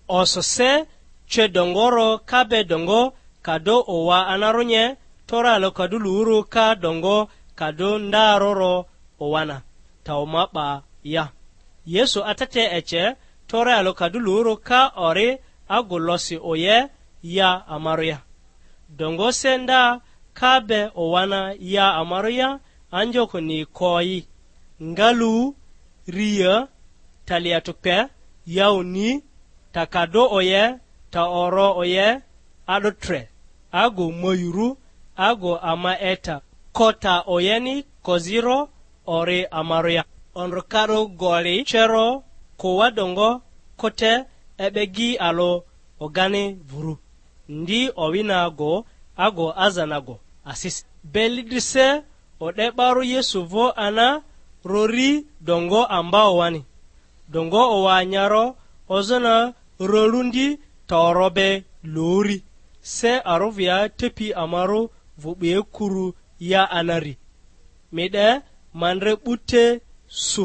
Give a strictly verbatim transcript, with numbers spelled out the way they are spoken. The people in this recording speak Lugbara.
Oso se cwe dongoro ka be dongo ka do owa anarunye, tore alo ka du luuru ka dongo ka do ndaroro owana, ta oma 'ba ya. Yesu atete ece, tore alo ka du luuru ka ori agu losi oye ya amaru ya. Dongo se nda ka be owana ya amaru ya, anjokoni koyi, ngalu, ria, taliatukpe, yauni, ta ka do oye, ta oro oye, a'do tre, agu moyuru, agu ama eta, ko ta oyeni koziro ori amaru ya. Ondrokarᴜ goli cero, ko wa dongo, ko te e'begi alo ogani vuru, ndi owina ago, ago azana ago asisi. Beli drise o'de 'barᴜ Yesu vᴜ ana rori dongo ambao wani. Dongo owa nyaro ozona rolundi toro be lori, se arovia tepi amarᴜ vᴜ 'bue kuru ya anari. Mi 'de, ma ndre 'bute su.